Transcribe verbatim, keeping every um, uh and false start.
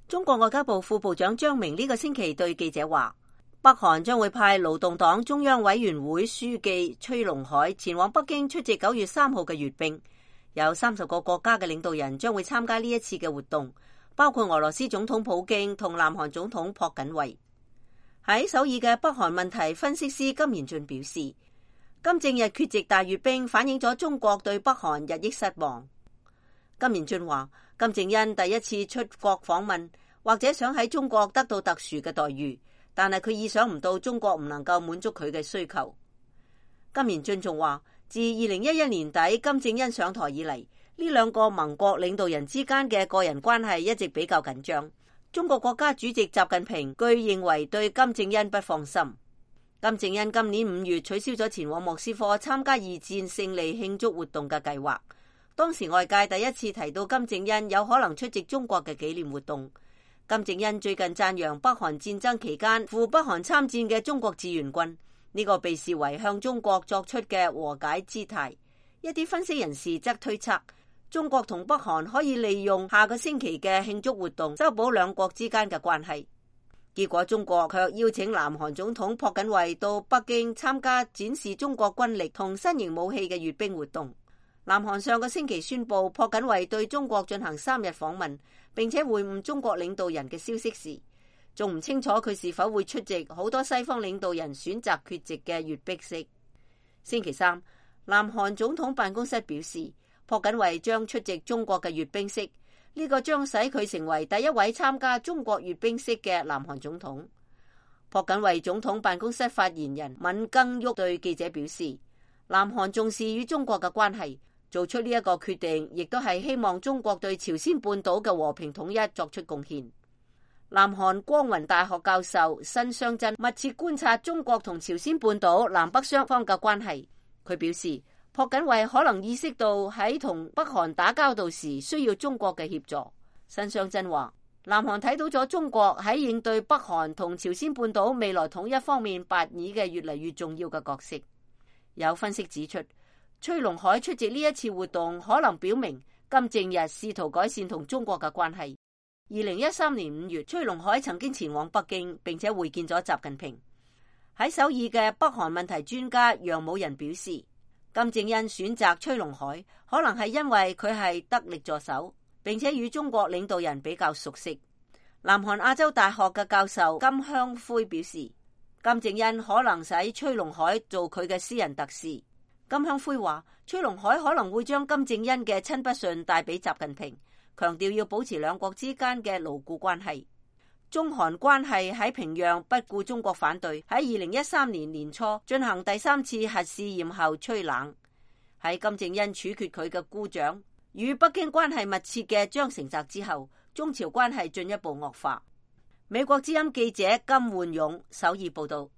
中國外交部副部長張明呢個星期對記者話，北韓將會派勞動黨中央委員會書記崔龍海前往北京出席九月三號嘅閱兵，有三十個國家嘅領導人將會參加呢一次嘅活動，包括俄羅斯總統普京同南韓總統朴槿惠。喺首爾嘅北韓問題分析師金賢俊表示，金正日缺席大閱兵反映咗中國對北韓日益失望。金賢俊話，金正恩第一次出國訪問，或者想喺中國得到特殊嘅待遇，但係佢意想唔到中國唔能夠滿足佢嘅需求。金賢俊仲話，自二零一一年底金正恩上台以嚟，呢兩個盟國領導人之間嘅個人關係一直比較緊張。中國國家主席習近平據認為對金正恩不放心。金正恩今年五月取消咗前往莫斯科參加二戰勝利慶祝活動嘅計劃。當時外界第一次提到金正恩有可能出席中國嘅紀念活動。金正恩最近讚揚北韓戰爭期間赴北韓參戰嘅中國志願軍，呢個被視為向中國作出嘅和解姿態。一啲分析人士則推測，中國同北韓可以利用下個星期嘅慶祝活動修補兩國之間嘅關係。結果中國卻邀請南韓總統朴槿惠到北京參加展示中國軍力同新型武器嘅閱兵活動。南韓上個星期宣布朴槿惠對中國進行三日訪問，並且會晤中國領導人嘅消息時，仲唔清楚佢是否會出席好多西方領導人選擇缺席嘅閱兵式。星期三，南韓總統辦公室表示，朴槿惠將出席中國嘅閱兵式，呢個將使佢成為第一位參加中國閱兵式嘅南韓總統。朴槿惠總統辦公室發言人敏更旭對記者表示，南韓重視與中國嘅關係，做出呢一個決定，亦都係希望中國對朝鮮半島嘅和平統一作出貢獻。南韓光雲大學教授申相珍密切觀察中國同朝鮮半島南北雙方嘅關係，佢表示，朴槿惠可能意識到喺同北韓打交道時需要中國嘅協助。申相珍話，南韓睇到咗中國喺應對北韓同朝鮮半島未來統一方面扮演嘅越嚟越重要嘅角色。有分析指出，崔龍海出席呢一次活動，可能表明金正日試圖改善同中國嘅關係。二零一三年五月，崔龍海曾經前往北京，並且會見咗習近平。喺首爾嘅北韓問題專家楊武仁表示，金正恩選擇崔龍海，可能係因為佢係得力助手，並且與中國領導人比較熟悉。南韓亞洲大學嘅教授金香灰表示，金正恩可能使崔龍海做佢嘅私人特使。金香灰話，崔龍海可能會將金正恩嘅親筆信帶俾習近平，強調要保持兩國之間嘅牢固關係。中韓關係喺平壤不顧中國反對，喺二零一三年年初進行第三次核試驗後趨冷。喺金正恩處決佢嘅姑丈，與北京關係密切嘅張成澤之後，中朝關係進一步惡化。美國之音記者金煥勇首爾報道。